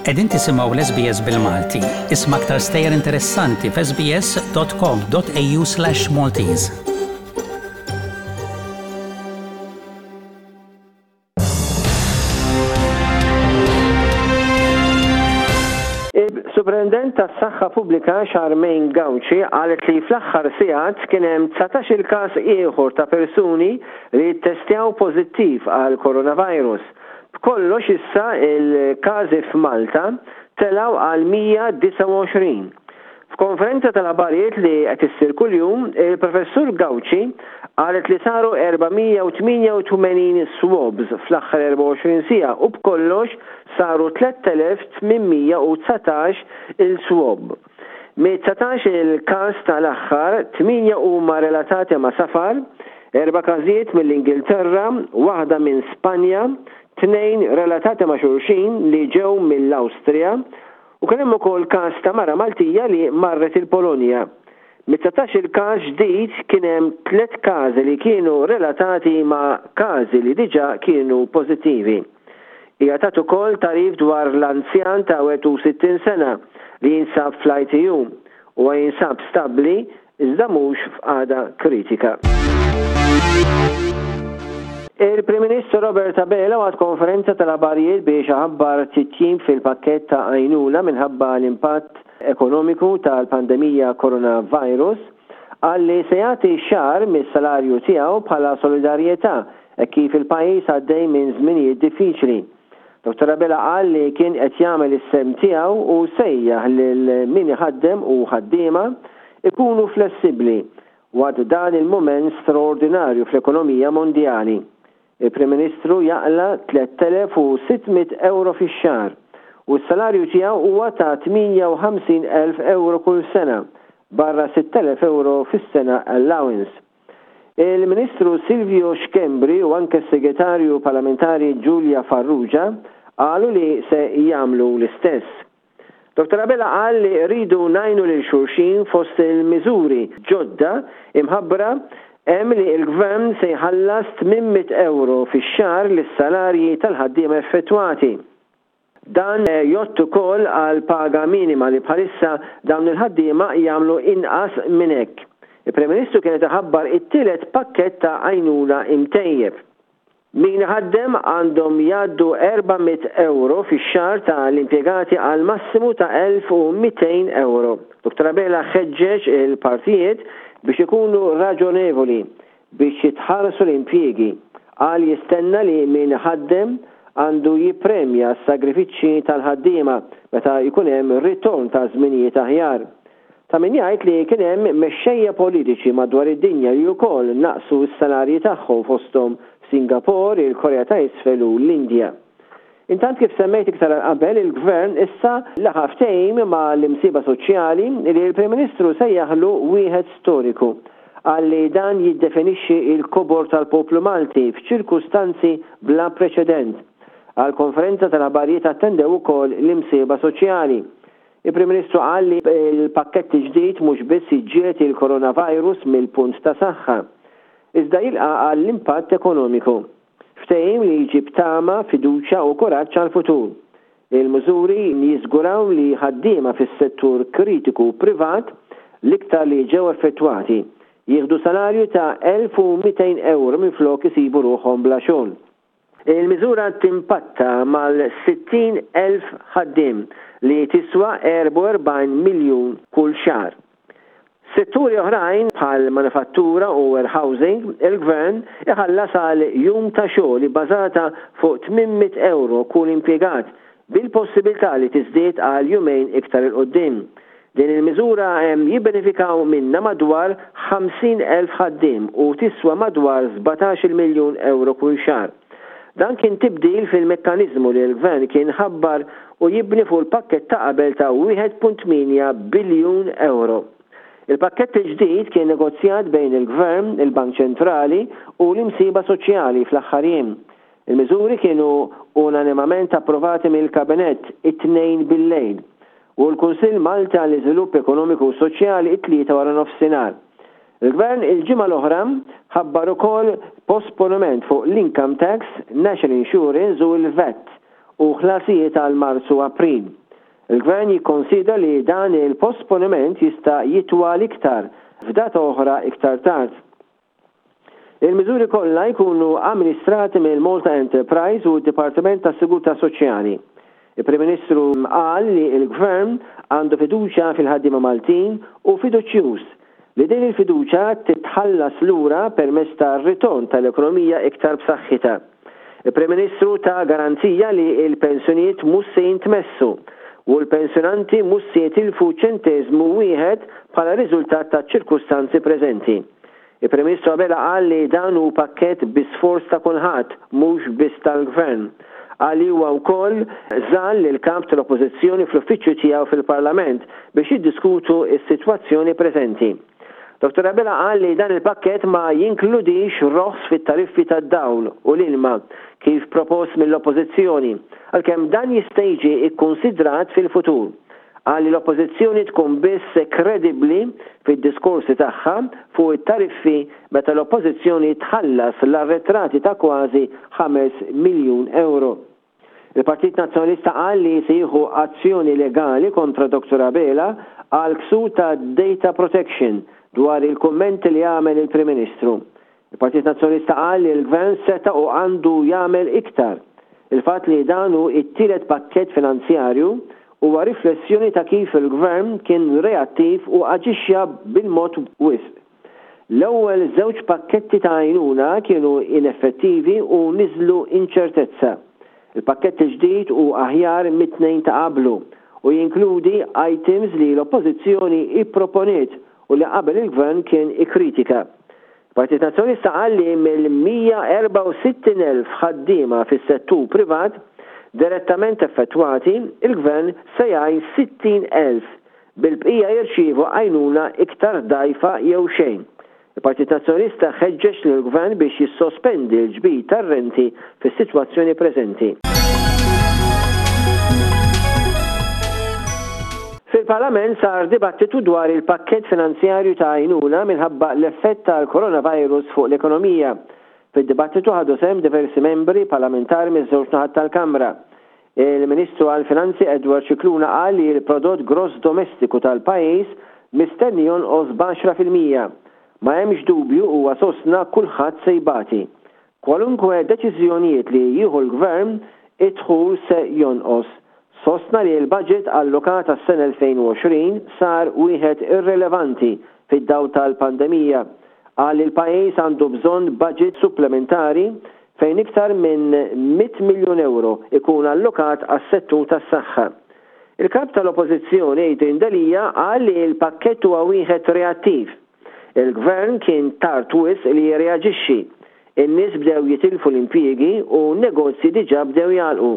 Qegħdin tisimgħu l-SBS bil-Malti. Isma' aktar stejjer interessanti f'sbs.com.au/Maltese. Il-Suprintendent tas-Saħħa Pubblika Charmaine Gauci qalet li fl-aħħar sigħat kien hemm 19-il każ ieħor ta' persuni li ttestjaw pożittiv għall-coronavirus. B'kollox issa il-każi f'Malta telgħu għal 129. F'konferenza tal-aħbarijiet li qed issir kuljum, il-Professur Gauci qalet li saru 488 swabs fl-aħħar 24 siegħa u b'kollox saru 3,819 il swab. Mit-19 il-każ tal-aħħar, tmienja huma relatati ma' safar, erba' każijiet mill-Ingilterra, waħda minn Spanja, tnejn relatati ma' xulxin li ġew mill-Awstrija, U kien hemm ukoll każ ta' mara Maltija li marret il-Polonja. Mit-19-il każ ġdid kien hemm tlett każi li kienu relatati ma' każi li diġà kienu pożittivi. Hija tat ukoll tagħrif dwar l-anzjan ta' 61 sena li jinsab fl-ITU. Huwa jinsab stabbli iżda mhux f'qagħda kritika. Il-Prim Ministru Robert Abela waqt konferenza tal-aħbarijiet biex iħabbar titjib fil-pakkett ta' għajnuna minħabba l-impatt ekonomiku tal-pandemija coronavirus, qal li se jagħti xahar mis-salarju tiegħu bħala solidarjetà hekk kif il-pajjiż għaddej minn żminijiet diffiċli. Dottor Abela qal li kien qed jagħmel is-sehem tiegħu u sejjaħ lil min iħaddem u ħaddiema jkunu flessibbli waqt dan il-mument straordinarju fl-ekonomija mondjali. Il-Prim Ministru jaqla' 3,600 ewro fix-xahar u s-salarju tiegħu huwa ta' 58,000 ewro kull sena barra 6,000 ewro fis-sena allowance. Il-Ministru Silvio Schembri u anke s-Segretarju Parlamentari Julia Farrugia qalu li se jagħmlu l-istess. Dottor Abela qal li rridu ngħinu lil xulxin fost il-miżuri ġodda imħabbra hemm li l-Gvern se jħallas 800 ewro fix-xahar lis-salarji tal-ħaddiema effettwati. Dan jgħodd ukoll għall-paga minima li bħalissa dawn il-ħaddiema jagħmlu inqas minn hekk. Il-Prim Ministru kien qed iħabbar it-tielet pakkett ta' għajnuna imtejjeb. Min iħaddem għandhom jgħaddu 400 ewro fix-xahar ta' l-impjegati għal massimu ta' 1,200 ewro. Dottor Abela ħeġġeġ il-partijiet biex ikunu raġonevoli biex jitħarsu l-impjiegi. Qal jistenna li min iħaddem għandu jippremja s-sagrifiċċji tal-ħaddiema meta jkun hemm ritorn ta' żminijiet aħjar. Ta' min jgħid li kien hemm mexxejja politiċi madwar id-dinja li wkoll naqqsu s-salarji tagħhom fosthom f'Singapore, il-Korea ta' Isfel u l-Indja. Intant kif semmejt iktar qabel, il-Gvern issa laħaq ftehim ma' l-imsieba soċjali li l-Prim Ministru sejjaħlu wieħed storiku. Qal li dan jiddefinixxi l-kobor tal-poplu Malti f'ċirkustanzi bla preċedent. Għall-konferenza tal-aħbarijiet attendew ukoll l-imsieba soċjali. Il-Prim Ministru qal li l-pakkett il-ġdid mhux biss jiġġieled il-coronavirus mill-punt ta' saħħa, iżda jilqa' għall-impatt ekonomiku. Ftehim li jġib tama, fiduċja u kuraġġ għall-futur. Il-miżuri jiżguraw li ħaddiema fis-settur kritiku privat, l-iktar li ġew effettwati, jieħdu salarju ta' 1,200 ewro minflok isibu ruħhom bla xogħol. Il-miżura timpatta mal-60,000 ħaddiem li tiswa 44 miljun kull xahar. Setturi oħrajn bħal manifattura u warehousing, il-Gvern iħallas għal jum ta' xogħol ibbażata fuq 800 ewro kull impjegat, bil-possibilità li tiżdied għal jumejn iktar 'il quddiem. Din il-miżura jibbenefikaw minnha madwar 50,000 ħaddiem u tiswa madwar 17-il miljun ewro kull xahar. Dan kien tibdil fil-mekkaniżmu li l-Gvern kien ħabbar u jibni fuq il-pakkett ta' qabel ta' 1.8 biljun ewro. Il-pakkett il-ġdid kien negozjat bejn il-Gvern, il-Bank Ċentrali u l-imsieħba soċjali fl-aħħar jiem. Il-miżuri kienu unanimament approvati mill-Kabinett it-Tnejn bil-lejl u l-Kunsill Malti għall-Iżvilupp Ekonomiku u Soċjali t-Tlieta waranofsinhar. Il-Gvern il-ġimgħa l-oħra ħabbar ukoll posponiment fuq l-income tax, national insurance u l-VAT u ħlasijiet għal Marzu u April. Il-Gvern jikkonsidra li dan il-posponiment jista' jitwal iktar f'data oħra iktar tard. Il-miżuri kollha jkunu amministrati mill-Malta Enterprise u d-Dipartiment tas-Sigurtà Soċjali. Il-Prim Ministru qal li l-Gvern għandu fiduċja fil-ħaddiema Maltin u fiduċjuż li din il-fiduċja titħallas lura permezz ta' ritorn tal-ekonomija iktar b'saħħitha. Il-Prim Ministru ta garanzija li l-pensjonijiet mhux se jintmessu u l-pensjonanti mhux se jitilfu ċenteżmu wieħed bħala riżultat taċ-ċirkustanzi preżenti. Il-Prim Ministru Abela qal li dan hu pakkett bi sforz ta' kulħadd, mhux biss tal-Gvern. Qal li huwa wkoll żar lill-Kap tal-Oppożizzjoni fl-uffiċċju tiegħu fil-Parlament biex jiddiskutu s-sitwazzjoni preżenti. Dottor Abela qal li dan il-pakkett ma jinkludix roħs fit-tariffi tad-dawl u l-ilma kif propost mill-Oppożizzjoni, għalkemm dan jista' jiġi kkunsidrat fil-futur. Qal li l-Oppożizzjoni tkun biss kredibbli fid-diskorsi tagħha fuq it-tariffi meta l-Oppożizzjoni tħallas l-arretrati ta' kważi ħames miljun ewro. Il-Partit Nazzjonalista qal li se jieħu azzjoni legali kontra Dottor Abela għal ksur ta' data protection dwar il-kummenti li għamel il-Prim Ministru. Il-Partit Nazzjonalista qal li l-Gvern seta' u għandu jagħmel iktar. Il-fatt li dan hu t-tielet pakkett finanzjarju huwa riflessjoni ta' kif il-Gvern kien reattiv u aġixxa bil-mod wisq. L-ewwel żewġ pakketti ta' għajnuna kienu ineffettivi u niżżlu inċertezza. Il-pakkett il-ġdid hu aħjar mit-tnejn ta' qablu u jinkludi items li l-Oppożizzjoni ipproponiet u li qabel il-Gvern kien ikkritika. Il-Partit Nazzjonalista qal li mill-164,000 ħaddiema fis-settur privat direttament effettwati, il-Gvern se jgħin 60,000, bil-bqija jirċievu għajnuna iktar dgħajfa jew xejn. Il-Partit Nazzjonalista ħeġġeġ lill-Gvern biex jissospendi l-ġbir tar-renti fis-sitwazzjoni preżenti. Fil-Parlament sar dibattitu dwar il-pakkett finanzjarju ta' għajnuna minħabba l-effett tal-coronavirus fuq l-ekonomija. Fid-dibattitu ħadu sehem diversi membri parlamentari miż-żewġ naħat tal-Kamra. Il-Ministru għall-Finanzi Edward Scicluna qal li l-prodott gross domestiku tal-pajjiż mistenni jonqos b'10%. Ma hemmx dubju, huwa sostna, kulħadd se jbati. Kwalunkwe deċiżjonijiet li jieħu l-Gvern, id-dħul se jonqos. Sostna li l-budget allokat għas-sena 2020 sar wieħed irrilevanti fid-dawl tal-pandemija. Qal li l-pajjiż għandu bżonn budget supplementari fejn iktar minn mitt miljun ewro jkun allokat għas-settur tas-saħħa. Il-Kap tal-Oppożizzjoni Adrian Delia qal li l-pakkett huwa wieħed reattiv. Il-Gvern kien tard wisq li jirreaġixxi. In-nies bdew jitilfu l-impjiegi u negozji diġà bdew jagħlqu.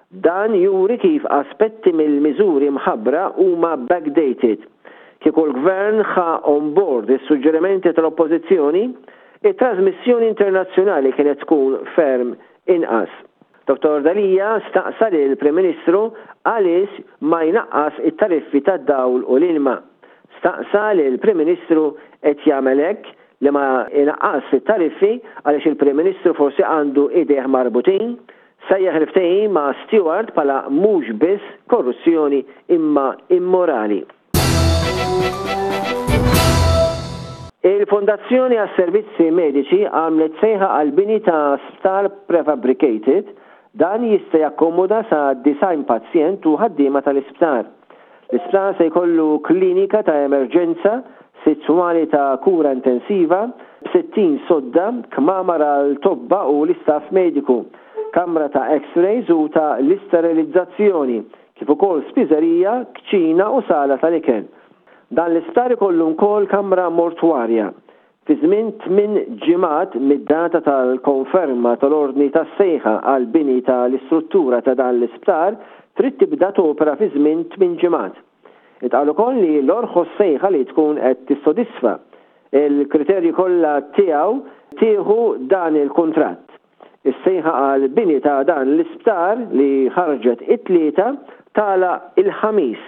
Dan juri kif aspetti mill-miżuri mħabbra huma backdated. Kieku l-Gvern ħa on board is-suġġerimenti tal-Oppożizzjoni, it-trażmissjoni internazzjonali kienet tkun ferm inqas. Dottor Delia staqsa lill-Prim Ministru għaliex ma jnaqqas it-tariffi tad-dawl u l-ilma. Staqsa lill-Prim Ministru qed jagħmel hekk li ma jnaqqasx it-tariffi għaliex il-Prim Ministru forsi għandu idejh marbutin? Sejjaħ il-ftehim ma' Steward bħala mhux biss korruzzjoni imma immorali. Il-Fondazzjoni għas-Servizzi Mediċi għamlet sejħa għall-bini ta' sptar prefabricated, dan jista' jakkomoda sa 90 pazjent u ħaddiema tal-isptar. L-isptar se jkollu klinika ta' emerġenza, sitt swali ta' kura intensiva, b' 60 sodda, kmamar għal tobba u l-istaff mediku, kamra ta' x-rays u ta' l-isterilizzazzjoni, kif ukoll spiżerija, kċina u sala tal-ikel. Dan l-isptar ikollu wkoll kamra mortwarja. Fi żmien tminn ġimgħat mid-data tal-konferma tal-ordni tas-sejħa għall-bini ta' l-istruttura ta' dan l-isptar trid tibda topera fi żmien tminn ġimgħat. Intqal ukoll li l-orħos sejħa li tkun qed tissodisfa l-kriterji kollha tiegħu tieħu dan il-kuntratt. Is-sejħa għall-bini ta' dan l-isptar li ħarġet it-Tlieta tagħlaq il-Ħamis.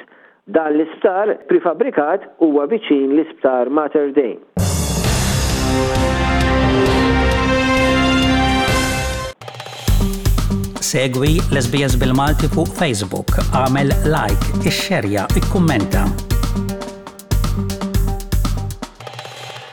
Dan l-isptar prefabbrikat huwa viċin l-Isptar Mater Dei. Segwi l-SBS bil-Malti fuq Facebook, agħmel like, ixxerja, ikkummenta.